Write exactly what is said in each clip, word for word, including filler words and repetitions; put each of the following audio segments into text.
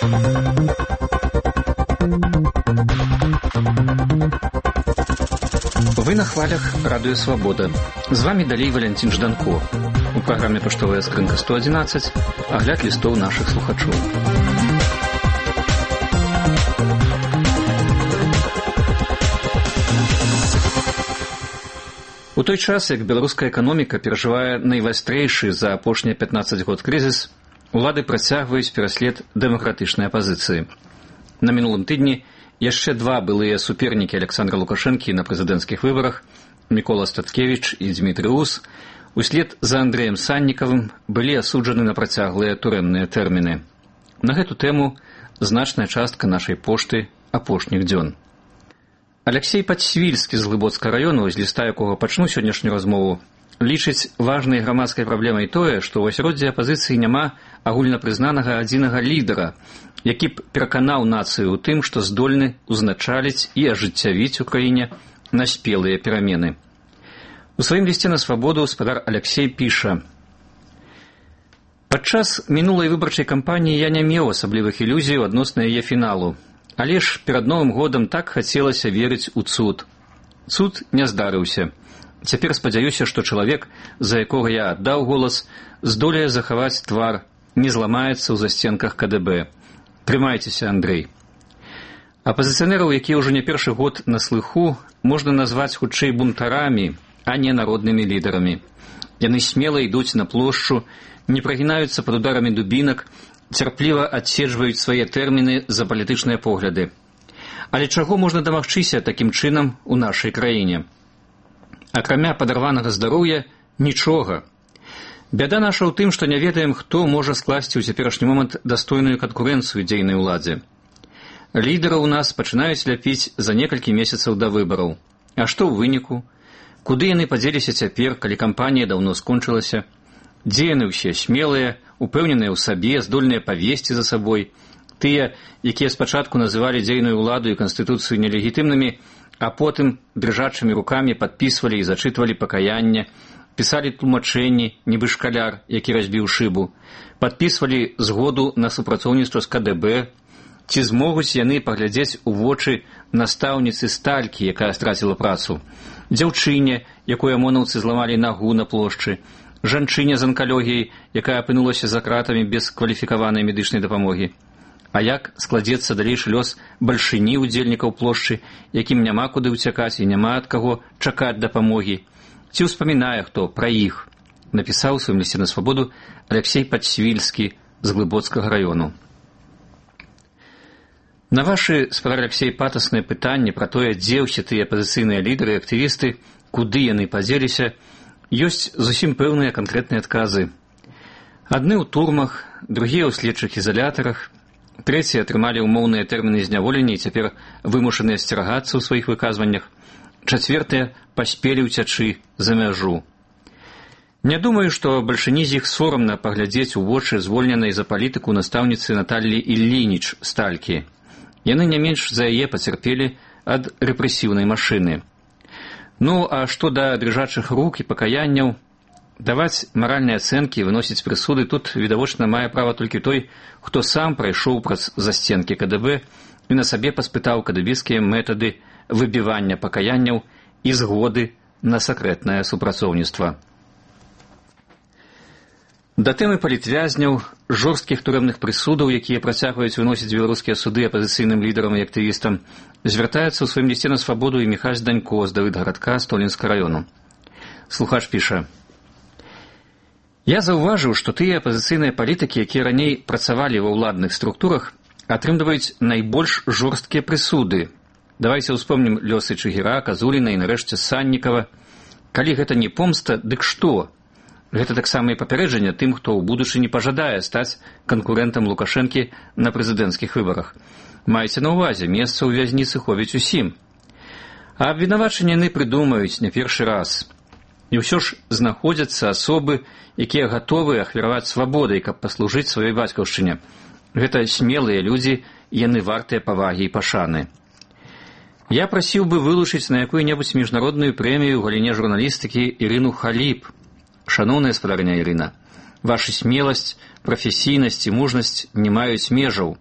Вы на хвалях Радио Свобода. З вами далей Валентин Жданко. У праграме «Паштовая скрынка сто одиннадцать» агляд лістоў нашых слухачоў. У той час, як беларуская эканоміка перажывае найвастрэйшы за апошнія пятнаццаць год крызіс, улады працягваюць пераслед дэмакратычнай апазіцыі. На мінулым тыдні яшчэ два былыя супернікі Александра Лукашэнкі на прэзідэнцкіх выбарах, Мікола Статкевіч і Дмітрый Ус, услед за Андрэем Саннікавым былі асуджаны на працяглыя турэмныя тэрміны. На гэту тэму значная частка нашай пошты апошніх дзён. Алексей Падсвільскі з Глыбоцкага раёну, з ліста якога пачну сённяшнюю размову, лічыць важнай грамадскай праблемай тое, што ў асяроддзі апазіцыі няма агульнапрызнанага адзінага лідара, які б пераканаў нацыю ў тым, што здольны ўзначаліць і ажыццявіць у краіне наспелыя перамены. У сваім лісце на Свабоду спадар Алексей піша: «Падчас мінулай выбарчай кампаніі я не меў асаблівых ілюзій адносна яе фіналу, але ж перад Новым годам так хацелася верыць у цуд. Цуд не здарыўся. Цяпер спадзяюся, што чалавек, за якога я аддаў голас, здолее захаваць твар, не зламаецца ў засценках ка дэ бэ. Трымайцеся, Андрэй». Апазіцыянераў, якія ўжо не першы год на слыху, можна назваць хутчэй бунтарамі, а не народнымі лідарамі. Яны смела ідуць на плошчу, не прагінаюцца пад ударамі дубінак, цярпліва адседжваюць свае тэрміны за палітычныя погляды. Але чаго можна дамагчыся такім чынам у нашай краіне? Акрамя падарванага здароўя, нічога. Бяда наша ў тым, што не ведаем, хто можа скласці ў цяперашні момант дастойную канкурэнцыю дзейнай уладзе. Лідары ў нас пачынаюць ляпіць за некалькі месяцаў да выбараў. А што ў выніку? Куды яны падзеліся цяпер, калі кампанія даўно скончылася? Дзе яны ўсе смелыя, упэўненыя ў сабе, здольныя павесці за сабой? Тыя, якія спачатку называлі дзейную ўладу і канстытуцыю нелегітымнымі, а потым дрыжачымі рукамі падпісвалі і зачытвалі пакаянне, пісалі тлумачэнні, нібы шкаляр, які разбіў шыбу, падпісвалі згоду на супрацоўніцтва з ка дэ бэ. Ці змогуць яны паглядзець у вочы настаўніцы Сталькі, якая страціла працу, дзяўчыне, якой амонаўцы зламалі нагу на плошчы, жанчыне з анкалогіяй, якая апынулася за кратамі без кваліфікаванай медычнай дапамогі? А як складзецца далейшы лёс бальшыні удзельнікаў плошчы, якім няма куды ўцякаць і няма ад каго чакаць дапамогі? Ці ўспамінае хто пра іх? Напісаў у сваім лісце на Свабоду Алексей Падсвільскі з Глыбоцкага раёну. На вашы, спадар Алексей, патасныя пытанні пра тое, дзе ўсе тыя апазіцыйныя лідары і актывісты, куды яны падзеліся, ёсць зусім пэўныя канкрэтныя адказы. Адны ў турмах, другія ў следчых ізалятарах, трэція атрымалі ўмоўныя тэрміны зняволення і цяпер вымушаныя асцерагацца ў сваіх выказваннях, чацвертыя паспелі ўцячы за мяжу. Не думаю, што бальшыні з іх сорамна паглядзець у вочы звольненай за палітыку настаўніцы Наталлі Іллініч Сталькі. Яны не менш за яе пацярпелі ад рэпрэсіўнай машыны. Ну, а што да дрыжачых рук і пакаянняў, даваць маральныя ацэнкі, выносіць прысуды тут, відавочна, мае права толькі той, хто сам прайшоў праз засценкі ка дэ бэ і на сабе паспытаў кадэбіскія метады выбівання пакаянняў і згоды на сакрэтнае супрацоўніцтва. Да тэмы палітвязняў, жорсткіх турэмных прысудаў, якія працягваюць выносіць беларускія суды апазіцыйным лідарам і актывістам, звяртаецца ў сваім лісце на Свабоду і Міхась Данько з Давыдгарадка Столінскага раёну. Слухач піша: «Я заўважыў, што тыя апазіцыйныя палітыкі, якія раней працавалі ва ўладных структурах, атрымліваюць найбольш жорсткія прысуды. Давайце ўспомнім лёсы Чыгіра, Казуліна і нарэшце Саннікава. Калі гэта не помста, дык што? Гэта таксама і папярэджанне тым, хто ў будучыні пажадае стаць канкурэнтам Лукашэнкі на прэзідэнцкіх выбарах. Майце на ўвазе, месца ў вязніцы хопіць усім. А абвінавачанні яны прыдумаюць не першы раз. І ўсё ж знаходзяцца асобы, якія гатовы ахвяраваць свабодай, каб паслужыць сваёй бацькаўшчыне. Гэта смелыя людзі, яны вартыя павагі і пашаны. Я прасіў бы вылучыць на якую-небудзь міжнародную прэмію ў галіне журналістыкі Ірыну Халіп. Шаноўная спадарыня Ірына, ваша смеласць, прафесійнасць і мужнасць не маюць межаў.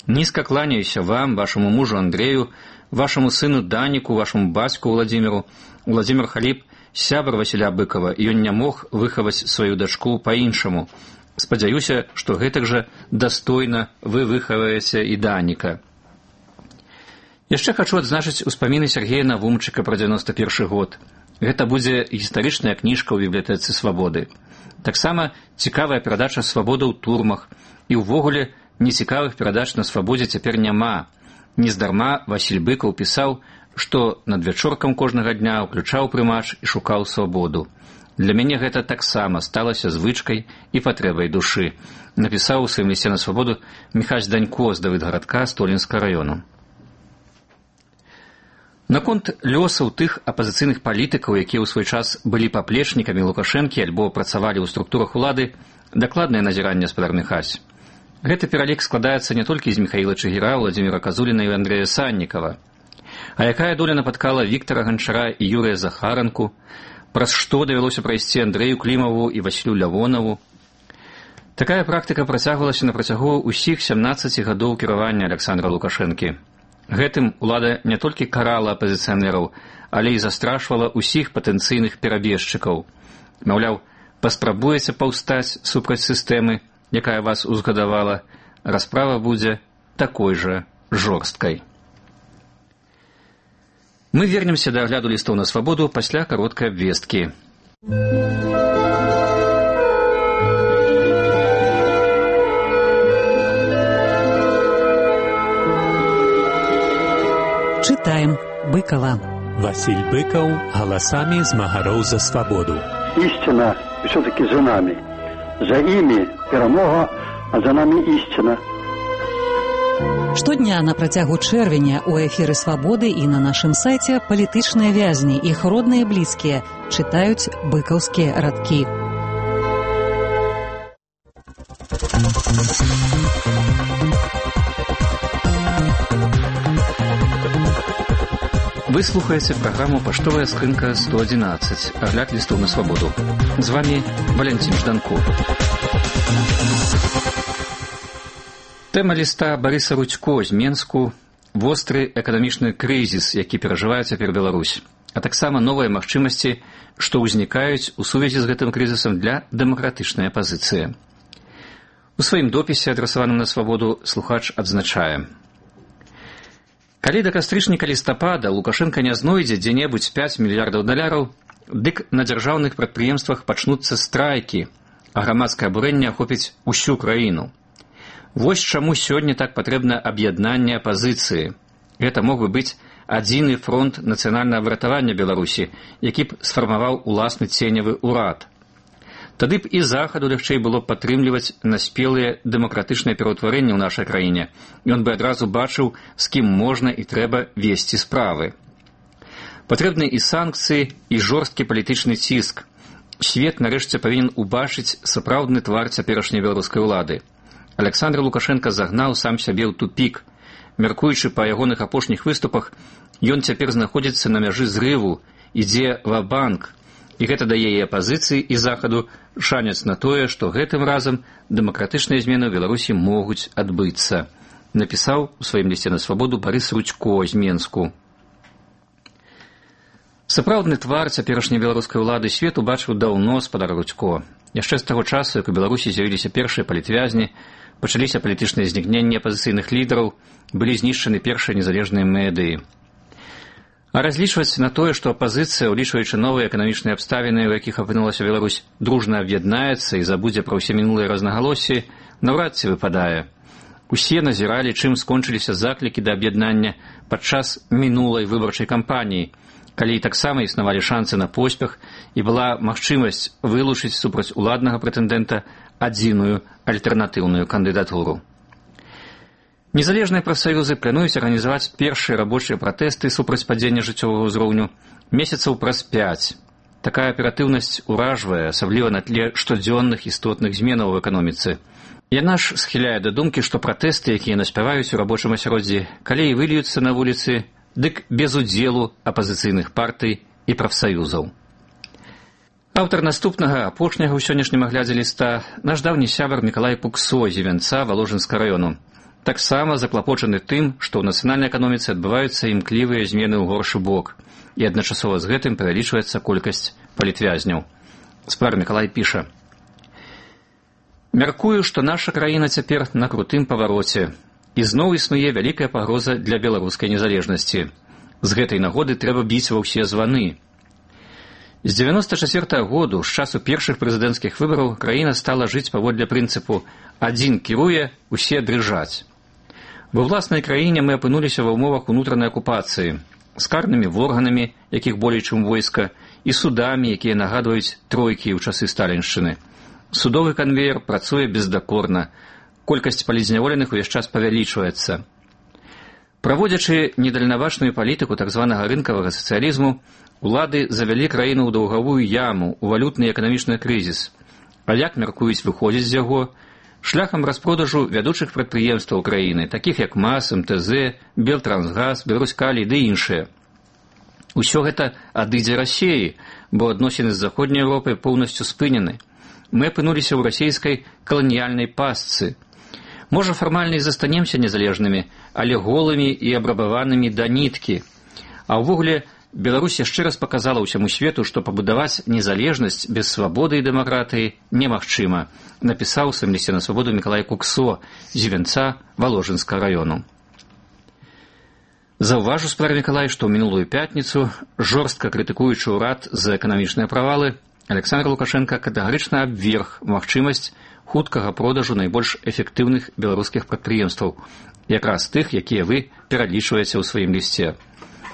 Низко кланяюся вам, вашему мужу Андрею, вашему сыну Данику, вашему бацьку Владимиру. Владимир Халіп – сябар Васіля Быкова, і ён не мог выхаваць сваю дачку па-іншаму. Спадзяюся, што гэтак жа дастойна вы выхаваеце і Даніка. Яшчэ хачу адзначыць успаміны Сергея Навумчыка пра дзевяносто першы год. Гэта будзе гістарычная кніжка ў бібліятэцы «Свабоды». Таксама цікавая перадача «Свабода ў турмах», і ўвогуле нецікавых перадач на свабодзе цяпер няма. Нездарма Васіль Быкаў пісаў, што над вячоркам кожнага дня ўключаў прымач і шукаў свабоду. Для мяне гэта таксама сталася звычкай і патрэбай душы, напісаў у сваім лісце на свабоду Міхась Данько з Давыдгарадка Столінскага раёну. Наконт лёсаў тых апазіцыйных палітыкаў, якія ў свой час былі паплечнікамі Лукашэнкі альбо працавалі ў структурах улады, дакладнае назіранне гаспадар Міхась. Гэты пералік складаецца не толькі з Міхаіла Чыгіра, Владзіміра Казуліна і Андрэя Саннікава. А якая доля напаткала Віктара Ганчара і Юрыя Захаранку, праз што давялося прайсці Андрэю Клімаву і Васілю Лявонаву. Такая практыка працягвалася на працягу ўсіх сямнаццаці гадоў кіравання Аляксандра Лукашэнкі. Гэтым улада не толькі карала апазіцыянераў, але і застрашвала ўсіх патэнцыйных перабежчыкаў. Маўляў, паспрабуеце паўстаць супраць сістэмы, якая вас узгадавала, расправа будзе такой жа жорсткай. Мы вернемся да агляду лістоў на свабоду пасля кароткай абвесткі. Читаем Быкова. Василь Быков голосами змагароў за свободу. Истина все-таки за нами. За ими перемога, а за нами истина. Штодня на працягу чэрвеня ў эфіры «Свабоды» і на нашым сайце палітычныя вязні, іх родныя і блізкія, чытаюць быкаўскія радкі. Вы слухаеце праграму «Паштовая скрынка сто адзінаццаць», агляд лістоў на свабоду. З вами Валентин Жданко. Тэма ліста Барыса Рудзько з Менску – востры эканамічны крызіс, які перажывае цяпер Беларусь, а таксама новыя магчымасці, што ўзнікаюць у сувязі з гэтым крызісам для дэмакратычнай апазіцыі. У сваім допісе, адрасаваным на свабоду, слухач адзначае: калі да кастрычніка лістапада Лукашенка не знойдзе дзе-небудзь пяць мільярдаў даляраў, дык на дзяржаўных прадпрыемствах пачнуцца страйкі, а грамадскае абурэнне ахопіць усю краіну. Вось чаму сёння так патрэбна аб'яднанне апазіцыі. Гэта мог бы быць адзіны фронт нацыянальнага выратавання Беларусі, які б сфармаваў уласны ценевы ўрад. Тады б і захаду лягчэй было падтрымліваць наспелыя дэмакратычныя пераўтварэнні ў нашай краіне. Ён бы адразу бачыў, з кім можна і трэба весці справы. Патрэбны і санкцыі, і жорсткі палітычны ціск. Свет нарэшце павінен убачыць сапраўдны твар цяперашняй беларускай улады. Аляксандр Лукашенка загнаў сам сябе ў тупік. Мяркуючы па ягоных апошніх выступах, ён цяпер знаходзіцца на мяжы зрыву, ідзе ва-банк, і гэта дае і апазіцыі, і захаду шанец на тое, што гэтым разам дэмакратычныя змены ў Беларусі могуць адбыцца, напісаў у сваім лісце на свабоду Барыс Рудзько з Менску. Сапраўдны твар цяперашняй беларускай улады свет убачыў даўно, спадар Рудзько. Яшчэ з таго часу, як у Беларусі з'явіліся першыя палітвязні, пачаліся палітычныя знікненні апазіцыйных лідараў, былі знішчаны першыя незалежныя медыі. А разлічваць на тое, што апазіцыя, улічваючы новыя эканамічныя абставіны, у якіх апынулася Беларусь, дружна аб'яднаецца і забудзе пра ўсе мінулыя рознагалоссі, наўрад ці выпадае. Усе назіралі, чым скончыліся заклікі да аб'яднання падчас мінулай выбарчай кампаніі, калі і таксама існавалі шансы на поспех і была магчымасць вылучыць супраць уладнага прэтэндэнта адзіную альтэрнатыўную кандыдатуру. Незалежныя прафсаюзы плануюць арганізаваць першыя рабочыя пратэсты супраць падзення жыццёвага ўзроўню месяцаў праз пяць. Такая аператыўнасць уражвае, асабліва на тле штодзённых істотных зменаў у эканоміцы. Яна ж схіляе да думкі, што пратэсты, якія наспяваюць у рабочым асяроддзі, калі і выльюцца на вуліцы, дык без удзелу апазіцыйных партый і прафсаюзаў. Аўтар наступнага, апошняга ў сённяшнім аглядзе ліста, наш даўні сябар Мікалай Пуксо з Івянца Валожынскага раёну. таксама заклапочаны тым, што ў нацыянальнай эканоміцы адбываюцца імклівыя змены ў горшы бок, і адначасова з гэтым павялічваецца колькасць палітвязняў. Спар Мікалай піша: «Мяркую, што наша краіна цяпер на крутым павароце, і зноў існуе вялікая пагроза для беларускай незалежнасці. З гэтай нагоды трэба біць ва ўсе званы. З дзевяноста чацвёртага году, з часу першых прэзідэнцкіх выбараў, краіна стала жыць паводле прынцыпу «адзін кіруе, усе дрыжаць». Ва ўласнай краіне мы апынуліся ва ўмовах унутранай акупацыі, з карнымі органамі, якіх болей чым войска, і судамі, якія нагадваюць тройкі ў часы сталіншчыны. Судовы канвеер працуе бездакорна, колькасць палізняволеных увесь час павялічваецца. Праводзячы недальнавачную палітыку так званага рынкавага сацыялізму, улады завялі краіну ў даўгавую яму, у валютны і эканамічны крызіс. А як мяркуюць выходзіць з яго? Шляхам распродажу вядучых прадпрыемстваў краіны, такіх як МАЗ, МТЗ, Белтрансгаз, Беларускалій ды іншыя. Усё гэта адыдзе Расіі, бо адносіны з заходняй Еўропай поўнасцю спынены. Мы апынуліся ў расійскай каланіяльнай пастцы. Можа, фармальна і застанемся незалежнымі, але голымі і абрабаванымі да ніткі. А ўвогуле, Беларусь яшчэ раз паказала ўсяму свету, што пабудаваць незалежнасць без свабоды і дэмакратыі немагчыма, напісаў у сваім лісце на свабоду Мікалай Куксо з Івенца Валожынскага раёну. Заўважу, спар Мікалай, што ў мінулую пятніцу, жорстка крытыкуючы ўрад за эканамічныя правалы, Александр Лукашенко катэгарычна абверг магчымасць хуткага продажу найбольш эфектыўных беларускіх прадпрыемстваў, якраз тых, якія вы пералічваеце ў сваім лісце.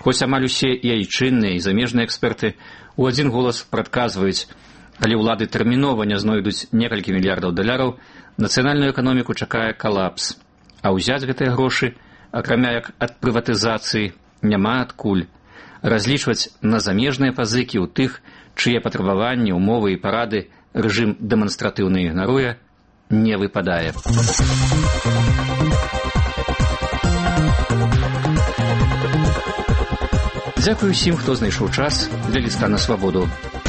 Хоць амаль усе і айчынныя, і замежныя эксперты ў адзін голас прадказваюць, калі ўлады тэрмінова не знойдуць некалькі мільярдаў даляраў, нацыянальную эканоміку чакае калапс. А ўзяць гэтыя грошы, акрамя як ад прыватызацыі, няма адкуль. Разлічваць на замежныя пазыкі ў тых, чые патрабаванні, умовы і парады рэжым дэманстратыўна ігнаруе, не выпадае. Дзякую усім, хто знайшоў час для ліста на свабоду.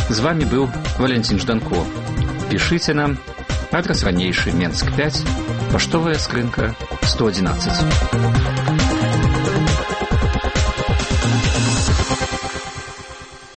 З вами быў Валентин Жданко. Пішыце нам, адрас ранейшы, Менск пяць, паштовая скрынка сто адзінаццаць.